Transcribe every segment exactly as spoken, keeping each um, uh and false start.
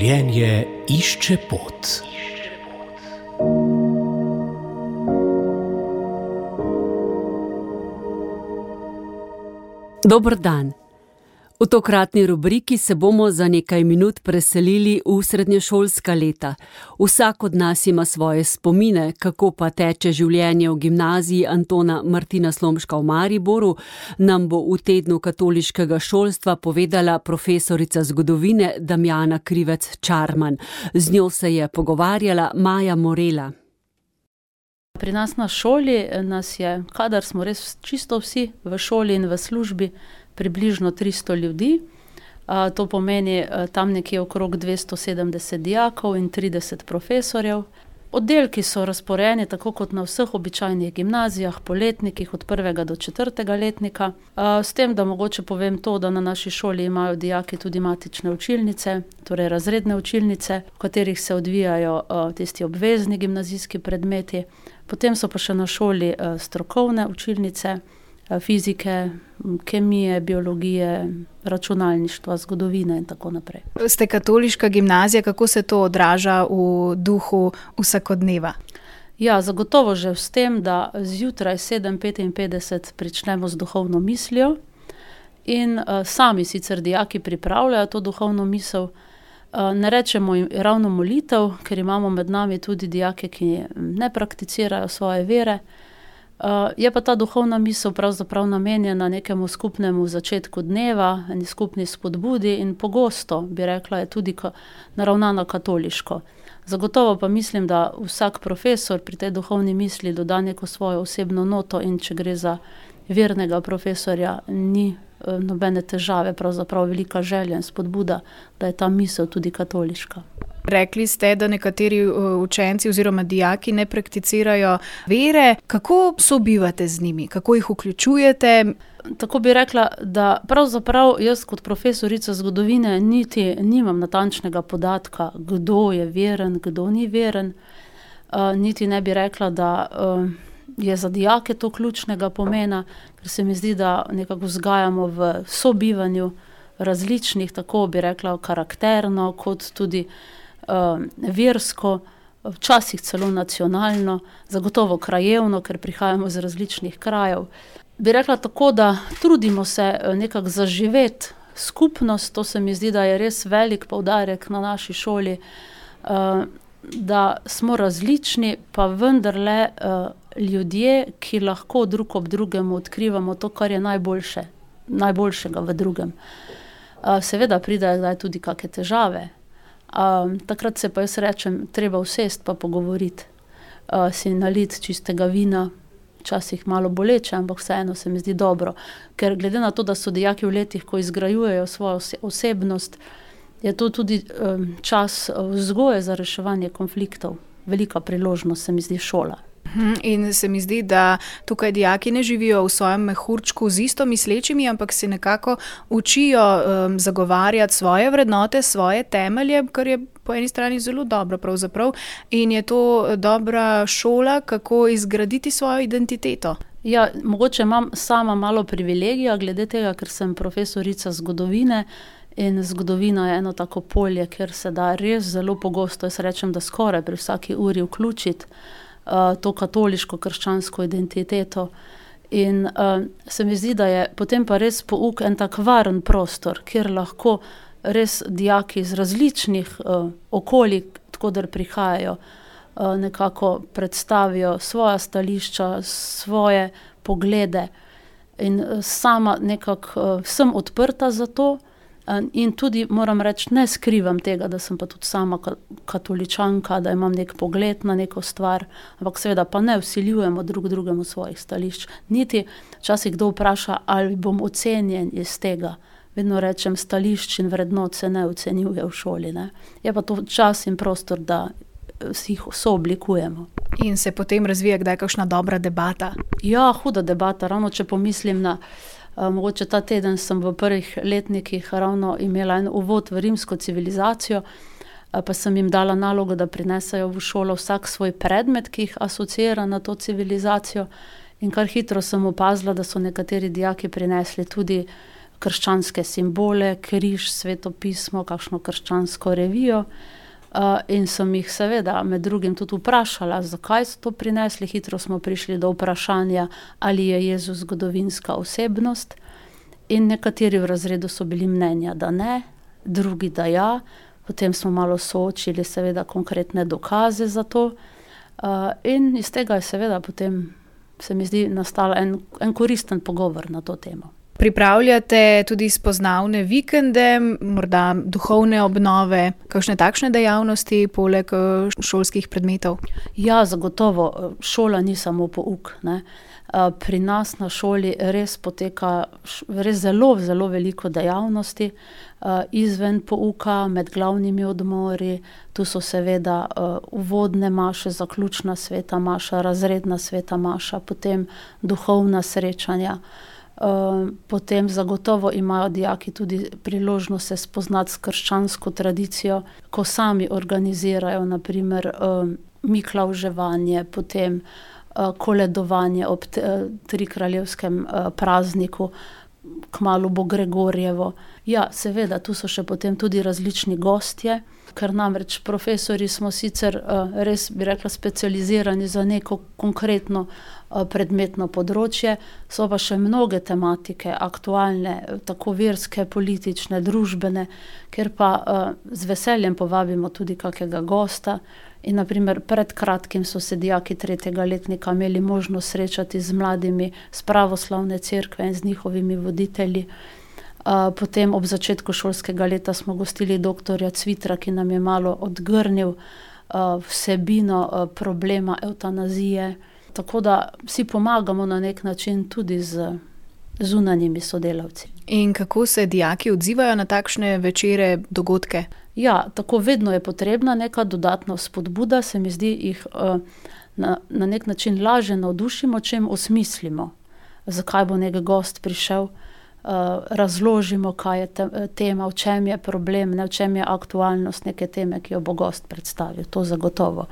Življenje išče pot. Dober dan. V tokratni rubriki se bomo za nekaj minut preselili v srednješolska leta. Vsak od nas ima svoje spomine, kako pa teče življenje v gimnaziji Antona Martina Slomška v Mariboru, nam bo v tednu katoliškega šolstva povedala profesorica zgodovine Damjana Krivec Čarman. Z njo se je pogovarjala Maja Morela. Pri nas na šoli nas je, kadar smo res čisto vsi v šoli in v službi, približno tristo ljudi. To pomeni tam nekje okrog dvesto sedemdeset dijakov in trideset profesorjev. Oddelki so razporejeni tako kot na vseh običajnih gimnazijah, po letnikih od prvega do četrtega letnika. S tem, da mogoče povem to, da na naši šoli imajo dijaki tudi matične učilnice, torej razredne učilnice, v katerih se odvijajo tisti obvezni gimnazijski predmeti. Potem so pa še na šoli strokovne učilnice, fizike, kemije, biologije, računalništva, zgodovine in tako naprej. Ste katoliška gimnazija, kako se to odraža v duhu vsakodneva? Ja, zagotovo že s tem, da zjutraj sedem petinpetdeset pričnemo z duhovno mislijo in uh, sami sicer dijaki pripravljajo to duhovno misel. Uh, ne rečemo jim ravno molitev, ker imamo med nami tudi dijake, ki ne prakticirajo svoje vere. Uh, je pa ta duhovna misel pravzaprav namenjena nekemu skupnemu začetku dneva, eni skupni spodbudi in pogosto, bi rekla, je tudi ka, naravnana katoliško. Zagotovo pa mislim, da vsak profesor pri tej duhovni misli doda neko svojo osebno noto in če gre za vernega profesorja, ni uh, nobene težave, pravzaprav velika želja in spodbuda, da je ta misel tudi katoliška. Rekli ste, da nekateri učenci oziroma dijaki ne prakticirajo vere. Kako sobivate z njimi? Kako jih vključujete? Tako bi rekla, da pravzaprav jaz kot profesorica zgodovine niti nimam natančnega podatka, kdo je veren, kdo ni veren. Uh, niti ne bi rekla, da uh, je za dijake to ključnega pomena, ker se mi zdi, da nekako vzgajamo v sobivanju različnih, tako bi rekla, karakterno, kot tudi Uh, versko, včasih celo nacionalno, zagotovo krajevno, ker prihajamo iz različnih krajev. Bi rekla tako, da trudimo se nekako zaživeti skupnost, to se mi zdi, da je res velik poudarek na naši šoli, uh, da smo različni, pa vendarle uh, ljudje, ki lahko drug ob drugem odkrivamo to, kar je najboljše, najboljšega v drugem. Uh, seveda pridejo zdaj tudi kakšne težave. Uh, takrat se pa jaz rečem, treba usest pa pogovoriti, uh, si naliti čistega vina, včasih malo boleče, ampak vseeno se mi zdi dobro, ker glede na to, da so dijaki v letih, ko izgrajujejo svojo osebnost, je to tudi um, čas vzgoje za reševanje konfliktov. Velika priložnost se mi zdi šola. In se mi zdi, da tukaj dijaki ne živijo v svojem mehurčku z isto mislečimi, ampak se nekako učijo um, zagovarjati svoje vrednote, svoje temelje, kar je po eni strani zelo dobro pravzaprav. In je to dobra šola, kako izgraditi svojo identiteto. Ja, mogoče imam sama malo privilegija glede tega, ker sem profesorica zgodovine in zgodovina je eno tako polje, ker se da res zelo pogosto, jaz rečem, da skoraj pri vsaki uri vključiti to katoliško krščansko identiteto. In uh, se mi zdi, da je potem pa res pouk en tak varen prostor, kjer lahko res dijaki iz različnih uh, okolij, tkoder prihajajo, uh, nekako predstavijo svoja stališča, svoje poglede. In uh, sama nekako uh, sem odprta za to, in tudi moram reči, ne skrivam tega, da sem pa tudi sama katoličanka, da imam nek pogled na neko stvar, ampak seveda pa ne vsiljujemo drug drugemu svojih stališč. Niti včasih kdo vpraša, ali bom ocenjen iz tega. Vedno rečem, stališč in vrednot se ne ocenjuje v šoli. Ne? Je pa to čas in prostor, da si jih sooblikujemo. In se potem razvija kdaj kakšna dobra debata? Ja, huda debata, ravno če pomislim na Uh, mogoče ta teden sem v prvih letnikih ravno imela en uvod v rimsko civilizacijo, uh, pa sem jim dala nalogo, da prinesajo v šolo vsak svoj predmet, ki jih asociira na to civilizacijo. In kar hitro sem opazila, da so nekateri dijaki prinesli tudi krščanske simbole, križ, svetopismo, kakšno krščansko revijo. Uh, in sem jih seveda med drugim tudi vprašala, zakaj so to prinesli. Hitro smo prišli do vprašanja, ali je Jezus zgodovinska osebnost. In nekateri v razredu so bili mnenja, da ne, drugi, da ja. Potem smo malo soočili seveda konkretne dokaze za to. Uh, in iz tega je seveda potem, se mi zdi, nastal en, en koristen pogovor na to temo. Pripravljate tudi spoznavne vikende, morda duhovne obnove, kakšne takšne dejavnosti poleg šolskih predmetov? Ja, zagotovo. Šola ni samo pouk, ne. Pri nas na šoli res poteka res zelo, zelo veliko dejavnosti izven pouka, med glavnimi odmori. Tu so seveda uvodne maše, zaključna sveta maša, razredna sveta maša, potem duhovna srečanja. Uh, potem zagotovo imajo dijaki tudi priložnost se spoznati s krščansko tradicijo, ko sami organizirajo na primer uh, miklavževanje, potem uh, koledovanje ob t- uh, trikraljevskem uh, prazniku, kmalu bo Gregorjevo. Ja, seveda, tu so še potem tudi različni gostje, ker namreč profesori smo sicer uh, res, bi rekla, specializirani za neko konkretno uh, predmetno področje, so pa še mnoge tematike, aktualne, tako verske, politične, družbene, ker pa uh, z veseljem povabimo tudi kakega gosta. In naprimer pred kratkim so se dijaki tretjega letnika imeli možnost srečati z mladimi z pravoslavne cerkve in z njihovimi voditelji. Uh, potem ob začetku šolskega leta smo gostili doktorja Cvitra, ki nam je malo odgrnil uh, vsebino uh, problema evtanazije. Tako da si pomagamo na nek način tudi z zunanjimi sodelavci. In kako se dijaki odzivajo na takšne večere, dogodke? Ja, tako vedno je potrebna neka dodatna spodbuda, se mi zdi, jih uh, na, na nek način lažje navdušimo, čem osmislimo, zakaj bo nek gost prišel, uh, razložimo, kaj je te, tema, v čem je problem, ne, v čem je aktualnost neke teme, ki jo bo gost predstavil, to zagotovo.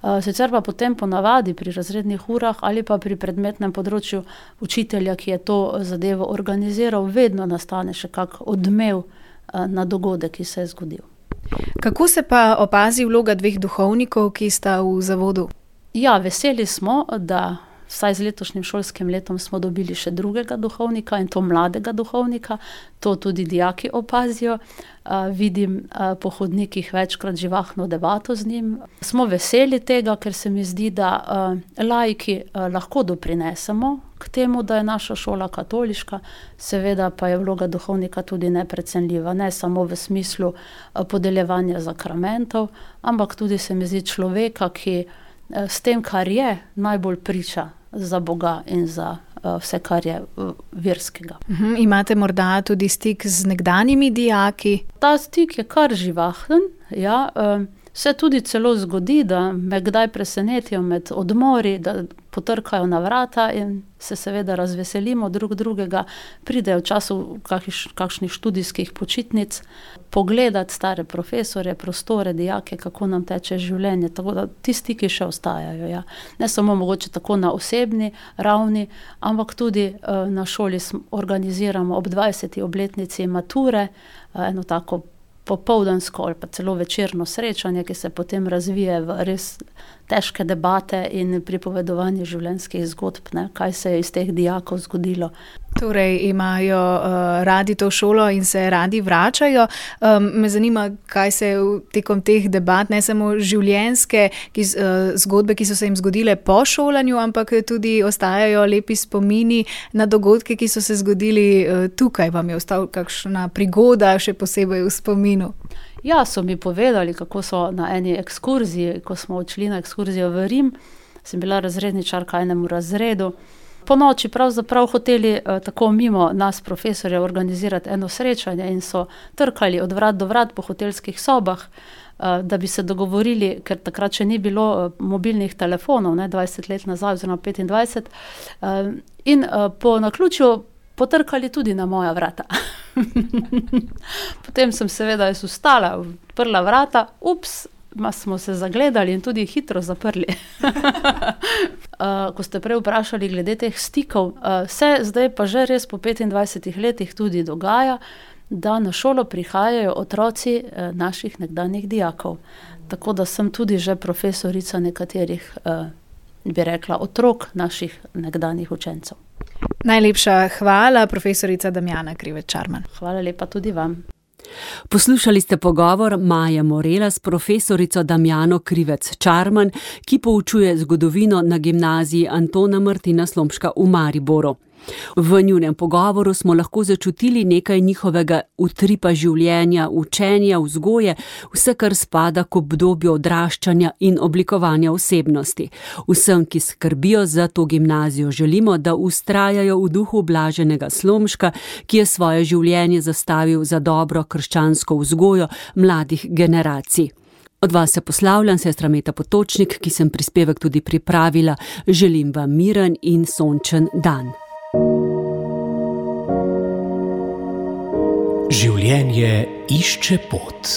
Uh, sicer pa potem ponavadi pri razrednih urah ali pa pri predmetnem področju učitelja, ki je to zadevo organiziral, vedno nastane še kak odmev uh, na dogodek, ki se je zgodil. Kako se pa opazi vloga dveh duhovnikov, ki sta v zavodu? Ja, veseli smo, da vsaj z letošnjim šolskim letom smo dobili še drugega duhovnika in to mladega duhovnika. To tudi dijaki opazijo. Uh, vidim uh, po hodnikih večkrat živahno debato z njim. Smo veseli tega, ker se mi zdi, da uh, laiki uh, lahko doprinesemo k temu, da je naša šola katoliška. Seveda pa je vloga duhovnika tudi neprecenljiva, ne samo v smislu uh, podeljevanja zakramentov, ampak tudi se mi zdi človeka, ki uh, s tem, kar je, najbolj priča za Boga in za uh, vse, kar je uh, verskega. Uhum, imate morda tudi stik z nekdanjimi dijaki? Ta stik je kar živahen, ja. Uh, se tudi celo zgodi, da me kdaj presenetijo med odmori, da potrkajo na vrata in se seveda razveselimo drug drugega, pridejo v času kakš, kakšnih študijskih počitnic, pogledati stare profesorje, prostore, dijake, kako nam teče življenje. Tako da ti stiki še ostajajo. Ja. Ne samo mogoče tako na osebni ravni, ampak tudi uh, na šoli organiziramo ob dvajseti obletnici mature, uh, eno tako popoldansko ali pa celo večerno srečanje, ki se potem razvije v res težke debate in pripovedovanje življenjskih zgodb, ne, kaj se je iz teh dijakov zgodilo. Torej imajo uh, radi to šolo in se radi vračajo. Um, me zanima, kaj se tekom teh debat, ne samo življenjske ki, uh, zgodbe, ki so se jim zgodile po šolanju, ampak tudi ostajajo lepi spomini na dogodke, ki so se zgodili uh, tukaj. Vam je ostal kakšna prigoda še posebej v spominu? Ja, so mi povedali, kako so na eni ekskurziji, ko smo odšli na ekskurzijo v Rim, sem bila razredničarka enemu razredu. Po noči pravzaprav hoteli eh, tako mimo nas profesorja organizirati eno srečanje in so trkali od vrat do vrat po hotelskih sobah, eh, da bi se dogovorili, ker takrat še ni bilo eh, mobilnih telefonov, ne, dvajset let nazaj oziroma petindvajset, eh, in eh, po naključju potrkali tudi na moja vrata. Potem sem seveda jaz ustala, odprla vrata, ups, ma smo se zagledali in tudi hitro zaprli. uh, ko ste prej vprašali glede teh stikov, uh, se zdaj pa že res po petindvajsetih letih tudi dogaja, da na šolo prihajajo otroci uh, naših nekdanjih dijakov. Tako da sem tudi že profesorica nekaterih, uh, bi rekla, otrok naših nekdanjih učencev. Najlepša hvala, profesorica Damjana Krivec Čarman. Hvala lepa tudi vam. Poslušali ste pogovor Maje Morela s profesorico Damjano Krivec Čarman, ki poučuje zgodovino na gimnaziji Antona Martina Slomška v Mariboru. V njunem pogovoru smo lahko začutili nekaj njihovega utripa življenja, učenja, vzgoje, vse, kar spada k obdobju odraščanja in oblikovanja osebnosti. Vsem, ki skrbijo za to gimnazijo, želimo, da vztrajajo v duhu Blaženega Slomška, ki je svoje življenje zastavil za dobro krščansko vzgojo mladih generacij. Od vas se poslavljam, sestra Meta Potočnik, ki sem prispevek tudi pripravila. Želim vam miren in sončen dan. Življenje išče pot.